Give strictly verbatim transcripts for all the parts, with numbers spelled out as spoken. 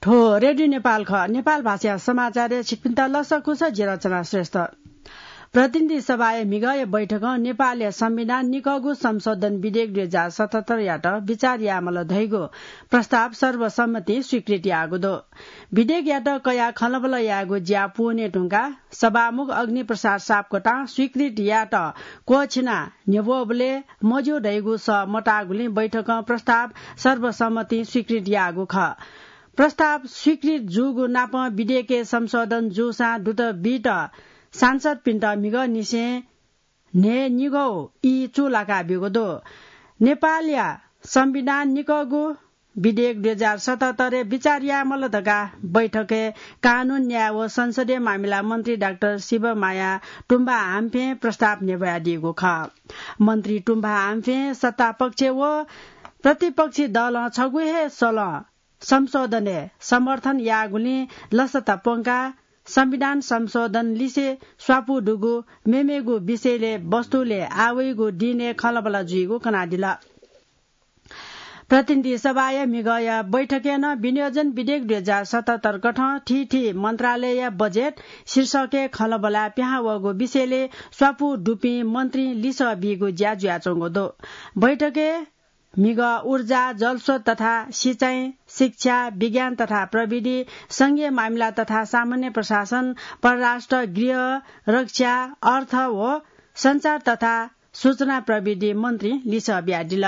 हो, रेडियो नेपाल खः। नेपाल भाषाया समाचारय् छिकपिन्त लसकुस, जि रचना श्रेष्ठ। प्रतिनिधि सभाया म्हिगःया बैठकं नेपालया संविधान निकःगु संशोधन विधेयक दुई हजार सतहत्तरयात विचार यायेमाल धइगु प्रस्ताव सर्वसम्मतिं स्वीकृत याःगु दु। विधेयकयात कयाः खँल्हाबल्हा यायेगु ज्या पूवने धुंकाः सभामुख अग्निप्रसाद सापकोटां स्वीकृत यायेत क्वःछिनाः न्ह्यब्वःबलय् मज्यू धइगु सः मताःगुलिं बैठकं प्रस्ताव सर्वसम्मतिं स्वीकृत याःगु खः। प्रस्ताव स्वीकृत जूगु नापं विधेयकय् संशोधन जूसां दुत बीत सांसदपिन्त म्हिगःनिसें न्हय्‌निगू ई चूलाका ब्यूगु दु। नेपालया संविधान निकःगु विधेयक दुई हजार सतहत्तरय् विचार यायेमाल धकाः बैठकय् कानून, न्याय व संसदीय मामिला मन्त्री डाक्टर शिवमाया तुम्बा हाम्फें प्रस्ताव न्ह्यब्वयादीगु खः। मन्त्री तुम्बा हाम्फें सत्तापक्ष व प्रतिपक्षी दलं छगू हे सलं संशोधनय् समर्थन याःगुलिं लसता प्वंकाः संविधान संशोधन लिसे स्वापू दुगु मेमेगु विषयलय् वस्तुलय् आवइगु दिनय् खँल्हाबल्हा जुइगु कनादिल। प्रतिनिधि सभाया म्हिगःया बैठकय् नं विनियोजन विधेयक दुई हजार सतहत्तर कथं थीथी मन्त्रालयया बजेट शीर्षकय् खँल्हाबल्हाय् पिहां वःगु विषयलय् स्वापू दुपिं मन्त्रीं लिसः बीगु ज्या जुयाच्वंगु दु। बैठकय् म्हिगः ऊर्जा, जलस्रोत तथा सिँचाइ, शिक्षा, विज्ञान तथा प्रविधि, संघीय मामिला तथा सामान्य प्रशासन, परराष्ट्र, गृह, रक्षा, अर्थ व सञ्चार तथा सूचना प्रविधि मन्त्रीं लिसः बियादिल।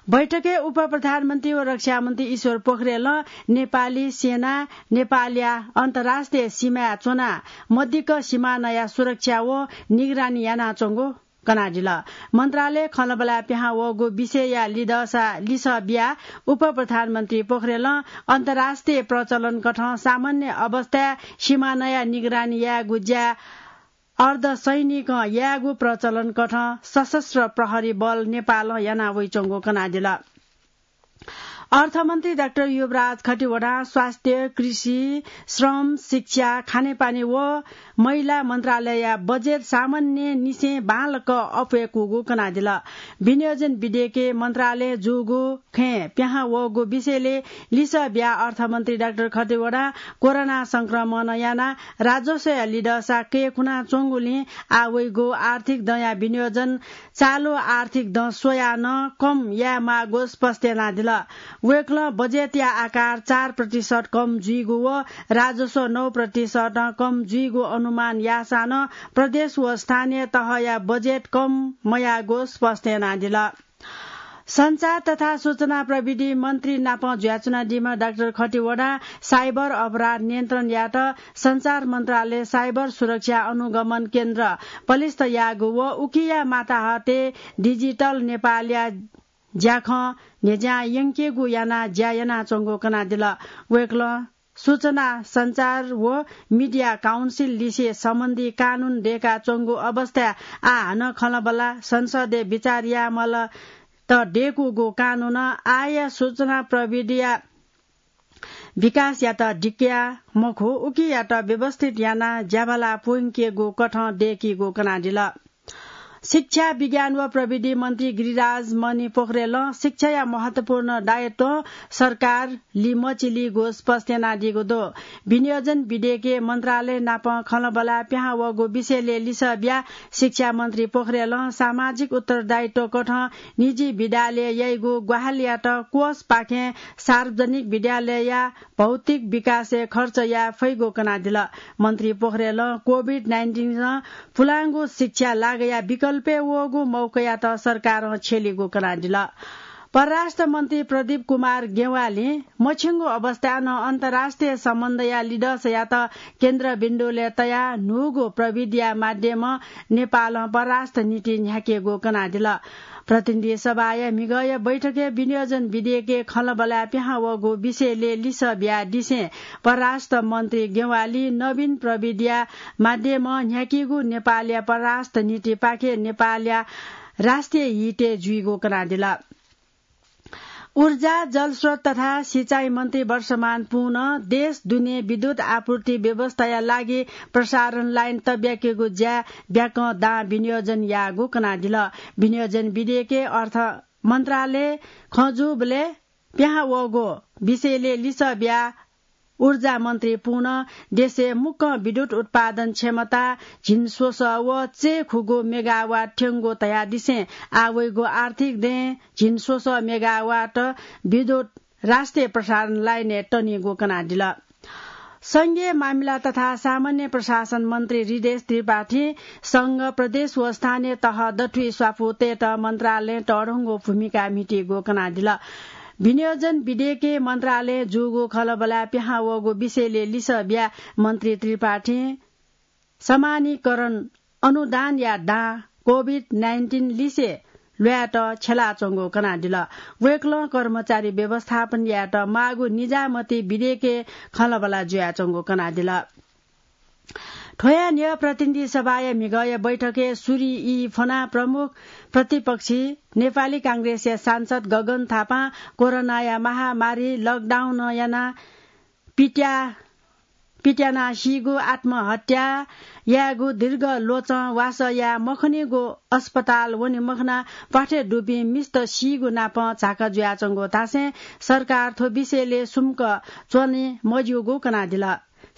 बैठकय् उपप्रधानमन्त्री व रक्षामन्त्री ईश्वर पोखरेलं नेपाली सेना नेपालया अन्तर्राष्ट्रिय सीमाय् च्वनाः मदिक्क सीमानाया सुरक्षा व निगरानी यानाच्वंगु कनादिल। मन्त्रालय खँल्हाबल्हाय् पिहां वःगु विषयया लिदःसा लिसः बियाः उपप्रधानमन्त्री पोखरेलं अन्तर्राष्ट्रिय प्रचलन कथं सामान्य अवस्थाय् सीमानाया निगरानी यायेगु ज्या अर्धसैनिकं यायेगु प्रचलन कथं सशस्त्र प्रहरी बल नेपालं याना वइच्वंगु कनादिल। अर्थमन्त्री डाक्टर युवराज खतिवडां स्वास्थ्य, कृषि, श्रम, शिक्षा, खानेपानी व महिला मन्त्रालयया बजेट सामान्यनिसें बांलाक अप्वय्कूगु कनादिल। विनियोजन विधेयकय् मन्त्रालयं जूगु खँय् पिहां वःगु विषयलय् लिसः बियाः अर्थमन्त्री डाक्टर खतिवडां कोरोना संक्रमणं यानाः राजस्वया लिदःसा कय्कुनाच्वंगुलिं आः वइगु आर्थिक दँया विनियोजन चालु आर्थिक दँ स्वयाः नं कम यायेमाःगु स्पष्ट यानादिल। वय्कलं बजेटया आकार चार प्रतिशत कम जुइगु व राजस्व नौ प्रतिशतं कम जुइगु अनुमान याःसां नं प्रदेश व स्थानीय तहया बजेट कम मयाःगु स्पष्ट यानादिल। सञ्चार तथा सूचना प्रविधि मन्त्री नाप जुयाच्वनादीम्ह डाक्टर खतिवडां साइबर अपराध नियन्त्रण यायेत सञ्चार मन्त्रालय साइबर सुरक्षा अनुगमन केन्द्र पलिस्थ याःगु व उकिया माताहतय् डिजिटल नेपालया ज्याखँ न्ह्यज्यां यंकेगु यानाः ज्या यानाच्वंगु कनादिल। वय्कलं सूचना सञ्चार व मिडिया काउन्सिल लिसे सम्बन्धी कानून दय्काच्वंगु अवस्थाय् आः हानं खँल्हाबल्हा संसदय् बिचाः यायेमाल त दय्कूगु कानूनं आःया सूचना प्रविधिया विकासयात दिकया मखु, उकियात व्यवस्थित यानाः ज्याभाला प्वंकेगु कथं दय्कीगु कनादिल। शिक्षा, विज्ञान व प्रविधि मन्त्री गिरिराज मणि पोखरेलं शिक्षाया महत्वपूर्ण दायित्वं सरकार लिमचिलीगु स्पष्ट यानादीगु दु। विनियोजन विधेयकय् मन्त्रालय नाप खँल्हाबल्हा पिहां वःगु विषयलय् लिसः बियाः शिक्षा मन्त्री पोखरेलं सामाजिक उत्तरदायित्व कथं निजी विद्यालय याइगु ग्वाहालियात कोषपाखें सार्वजनिक विद्यालयया भौतिक विकासय् खर्च याये फइगु कनादिल। मन्त्री पोखरेलं कोभिड नाइन्टिनं पुलांगु शिक्षा लागया विकल्पय् वःगु मौकायात सरकारं छ्यलीगु कनादिल। परराष्ट्र मन्त्री प्रदीप कुमार गेवालीं मछिंगु अवस्थाय् नं अन्तर्राष्ट्रिय सम्बन्धया लिदःसायात केन्द्रबिन्दुलय् तयाः न्हूगु प्रविधिया माध्यमं नेपालं परराष्ट्र नीति न्ह्याकेगु कनादिल। प्रतिनिधि सभाया म्हिगःया बैठकय् विनियोजन विधेयकय् खँल्हाबल्हाय् पिहां वःगु विषयलय् लिसः बियादिसें परराष्ट्र मन्त्री गेवालीं नवीन प्रविधिया माध्यमं न्ह्याकीगु नेपालया परराष्ट्र नीतिपाखें नेपालया राष्ट्रिय हितय् जुइगु कनादिल। ऊर्जा, जलस्रोत तथा सिँचाइ मन्त्री वर्षमान पुनं देश दुने विद्युत आपूर्ति व्यवस्थाया लागि प्रसारण लाइन तब्याकेगु ज्याय् ब्याकं दां विनियोजन याःगु कनादिल। विनियोजन विधेयकय् अर्थ मन्त्रालय खँ जूबलय् पिहां वःगु विषयलय् लिसः बियाः ऊर्जा मन्त्री पुन देशय् मुक्कं विद्युत उत्पादन क्षमता झिंस्वसः व चय्खुगू मेगावाट थ्यंगु धयादिसें आः वइगु आर्थिक दँय् झिंस्वसः मेगावाट विद्युत राष्ट्रिय प्रसारण लाइनय् तनीगु कनादिल। संघीय मामिला तथा सामान्य प्रशासन मन्त्री हृदेश त्रिपाठीं संघ, प्रदेश व स्थानीय तह दथुइ स्वापू तयेत मन्त्रालयं तःधंगु भूमिका म्हितीगु कनादिल। विनियोजन विधेयकय् मन्त्रालयं जूगु खँल्हाबल्हा पिहां वःगु विषयलय् लिसः बियाः मन्त्री त्रिपाठीं समानीकरण अनुदानया दां कोभिड नाइन्टिन लिसे ल्वायेत छ्यलाच्वंगु कनादिल। वय्कलं कर्मचारी व्यवस्थापन यायेत माःगु निजामती विधेयकय् खँल्हाबल्हा जुयाच्वंगु कनादिल। थ्वया न्ह्यः प्रतिनिधि सभाया म्हिगःया बैठकय् सुरि ई फ्वनाः प्रमुख प्रतिपक्षी नेपाली कांग्रेसया सांसद गगन थापां कोरोनाया महामारी लकडाउन यानाः पित्या पित्यानाः सीगु, आत्महत्या यायेगु, दीर्घ ल्वचं वासः याये मखनीगु, अस्पताल वने मखनाः प्वाथय् दुपिं मिस्त सीगु नापं झाका जुयाच्वंगु धासें सरकार थ्व विषयलय् सुम्क च्वने मज्यूगु कनादिल।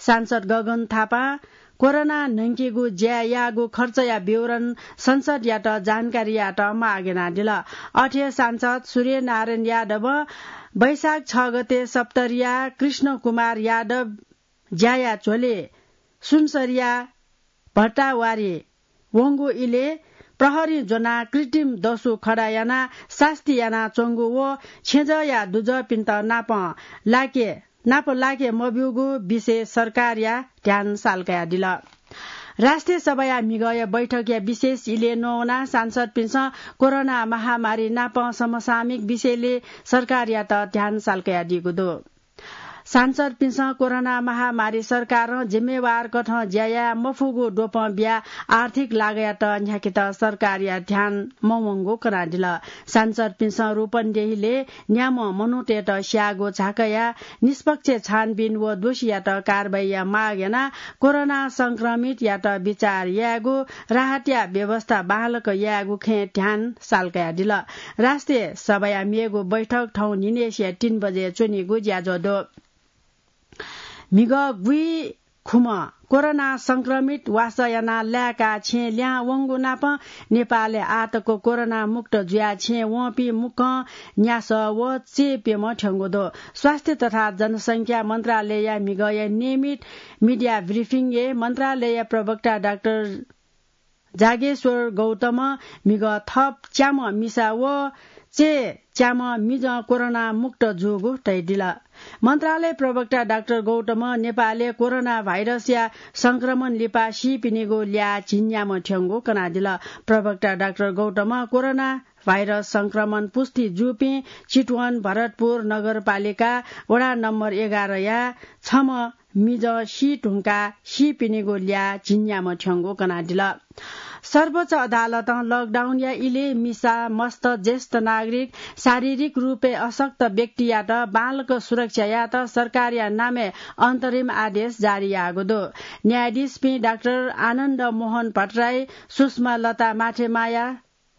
सांसद गगन थापां कोरोना न्हंकीगु ज्या याःगु खर्चया विवरण संसदयात जानकारी यायेत माग यानादिल। अथे सांसद सूर्यनारायण यादवं वैशाख छ गते सप्तरीया कृष्ण कुमार यादव ज्याया झ्वलय् सुनसरीया भट्टावारी वंगु इलय् प्रहरीं ज्वनाः कृत्रिम दसु खडा यानाः सास्ती यानाच्वंगु व छेँजःया दुजःपिन्त नाप लाके, नाप लाके मब्यूगु विषय सरकारया ध्यान साल कयादिल। राष्ट्रिय सभाया म्हिगःया बैठकया विशेष इलय् नवानाः सांसदपिन्सं कोरोना महामारी नाप समसामयिक विषयलय् सरकारयात ध्यान साल कयादीगु दु। सांसदपिन्सं कोरोना महामारी सरकारं जिम्मेवार कथं ज्या याये मफुगु द्वपं बियाः आर्थिक लागःयात न्ह्याकेत सरकारया ध्यान मवंगु कनादिल। सांसदपिन्सं रूपन्देहीलय् न्याम्ह मनूतय्त स्याःगु झाँकाया निष्पक्ष छानबिन व दोषीयात कारवाहीया माग यानाः कोरोना संक्रमितयात विचार यायेगु, राहतया व्यवस्था बांलाक यायेगु खँय् ध्यान साल कयादिल। राष्ट्रिय सभाया मेगु बैठक थौं न्हिनय्सिया तीन बजे च्वनीगु ज्याझ्वः दु। म्हिगः गुइखुम्ह कोरोना संक्रमित वासः यानाः लाय्काः छेँ लिहां वंगु नाप नेपालय् आःतक कोरोना मुक्त जुयाः छेँ वंपिं मुक्कं न्यासः व चय्प्यम्ह थ्यंगु दु। स्वास्थ्य तथा जनसंख्या मन्त्रालयया म्हिगःया नियमित media briefing-य् मन्त्रालयया प्रवक्ता डाक्टर जागेश्वर गौतमं म्हिगः थप च्याम्ह मिसा व चय्च्याम्ह मिजं कोरोना मुक्त जूगु धयादिल। मन्त्रालय प्रवक्ता डाक्टर गौतमं नेपालय् कोरोना भाइरसया संक्रमण लिपा सीपिनिगु ल्याः झिंन्याम्ह थ्यंगु कनादिल। प्रवक्ता डाक्टर गौतमं कोरोना भाइरस संक्रमण पुष्टि जूपिं चितवन भरतपुर नगरपालिका वडा नम्बर एघारया छम्ह मिजं सी धुंकाः सीपिनिगु ल्याः झिंन्याम्ह थ्यंगु कनादिल। सर्वोच्च अदालतं lockdown-या इलय् मिसा, मस्त, ज्येष्ठ नागरिक, शारीरिक रूपय् अशक्त व्यक्तियात बांलाक सुरक्षा यायेत सरकारया नामय् अन्तरिम आदेश जारी याःगु दु। न्यायाधीशपिं डाक्टर आनन्द मोहन भट्टराई, सुषमा लता माथेमाया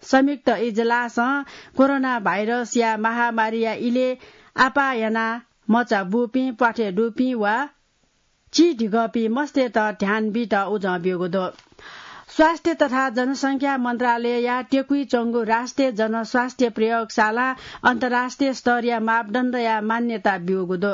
संयुक्त इजलासं कोरोना भाइरसया महामारीया इलय् आपाः यानाः मचा बूपिं, प्वाथय् दुपिं वा चिधिकःपिं मस्तय्त ध्यान बीत उजं ब्यूगु दु। स्वास्थ्य तथा जनसंख्या मन्त्रालयया त्यकुइच्वंगु राष्ट्रिय जनस्वास्थ्य प्रयोगशालां अन्तर्राष्ट्रिय स्तरया मापदण्डया मान्यता ब्यूगु दु।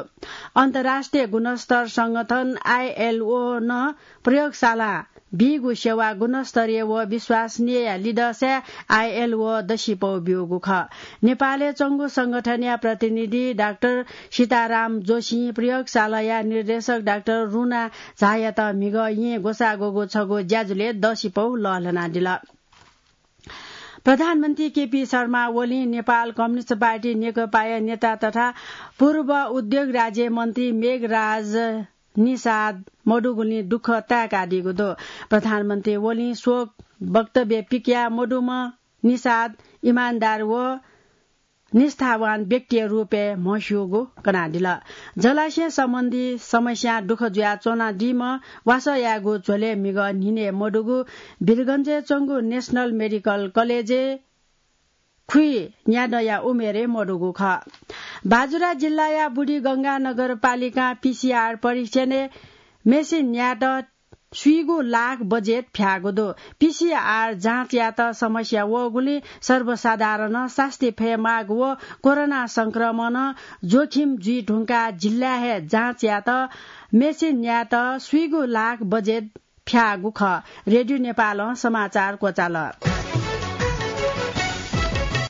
अन्तर्राष्ट्रिय गुणस्तर संगठन आइएलओ नं प्रयोगशालां बीगु सेवा गुणस्तरीय व विश्वसनीयया लिधंसाय् आइएलओ दसिपौ ब्यूगु खः। नेपालय् च्वंगु संगठनया प्रतिनिधि डाक्टर सीताराम जोशीं प्रयोगशालाया निर्देशक डाक्टर रुना झायात म्हिगः येँ ग्वसाः ग्वःगु छगू ज्याझ्वलय् दसिपौ लःल्हानादिल। प्रधानमन्त्री केपी शर्मा ओलीं नेपाल कम्युनिस्ट पार्टी नेकपाया नेता तथा पूर्व उद्योग राज्य मन्त्री मेघराज निषाद मदुगुलिं दुःख ताय्कादीगु दु। प्रधानमन्त्री ओलीं शोक वक्तव्य पिकयाः मदुम्ह निषाद इमानदार व निष्ठावान व्यक्तिया रूपय् म्हस्यूगु कनादिल। जलाशय सम्बन्धी समस्यां दुःख जुयाच्वनादीम्ह वासः यायेगु झ्वलय् म्हिगः न्हिनय् मदुगु वीरगञ्जय् च्वंगु नेशनल मेडिकल कलेजय् खुइन्यादँया उमेरय् मदुगु खः। बाजुरा जिल्लाया बुढीगंगा नगरपालिकां पीसीआर परीक्षणय् मेसिन न्यायेत स्वीगू लाख बजेट फ्याःगु दु। पीसीआर जाँचयात समस्या वःगुलिं सर्वसाधारणं सास्ती फयेमाःगु व कोरोना संक्रमणं जोखिम जुइ धुंकाः जिल्लाय् हे जाँचयात मेसिन न्यायेत स्वीगू लाख बजेट फ्याःगु खः। रेडियो नेपालं समाचार क्वचाल।